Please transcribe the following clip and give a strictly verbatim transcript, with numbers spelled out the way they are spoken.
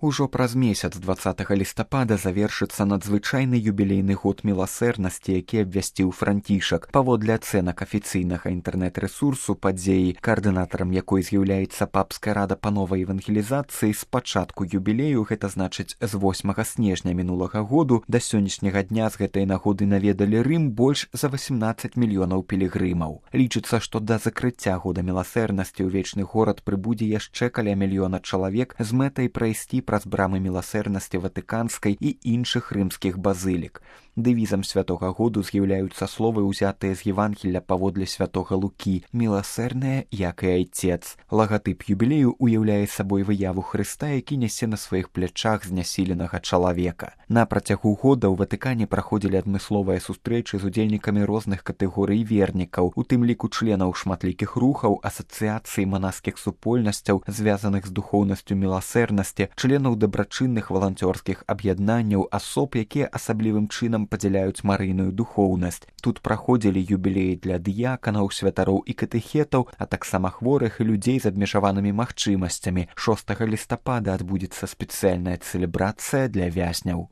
Ужо праз месяц дваццатага лістапада завершыцца надзвычайны юбілейны год міласэрнасці, які абвясціў Францішак. Паводле ацэнак афіцыйнага інтэрнэт-рэсурсу падзеі, каардынатарам якой з'яўляецца папская рада па новай евангелізацыі, з пачатку юбілею, гэта значыць з восьмага снежня мінулага году, да сённяшняга дня з гэтай нагоды наведалі Рым больш за васямнаццаць мільёнаў пілігрымаў. Лічыцца, што да закрыцця года міласэрнасці ў вечны горад прыбудзе яшчэ каля мільёна чалавек з мэтай прайсці праз брамы міласэрнасці ватыканскай і іншых рымскіх базылік. Дэвізам святога году з'яўляюцца словы, ўзятыя з Евангелля паводле святога Лукі: «Міласэрная, як і айцец». Лагатып юбілею уяўляе сабой выяву Хрыста, які нясе на сваіх плячах знясіленага чалавека. На працягу года ў Ватыкане праходзілі адмысловыя сустрэчы з удзельнікамі розных катэгорый вернікаў, у тым ліку членаў шматлікіх рухаў, асацыяцый манаскіх супольнасцяў, звязаных з духоўнасцю міласэрнасці, членаў дабрачынных валанцёрскіх аб'яднанняў, асоб, якія асаблівым чынам падзяляюць марыйную духоўнасць. Тут праходзілі юбілеі для дыяканаў, святароў і катэхетаў, а таксама хворых і людзей з абмежаванымі магчымасцямі. шостага лістапада адбудзецца спецыяльная цэлебрацыя для вязняў.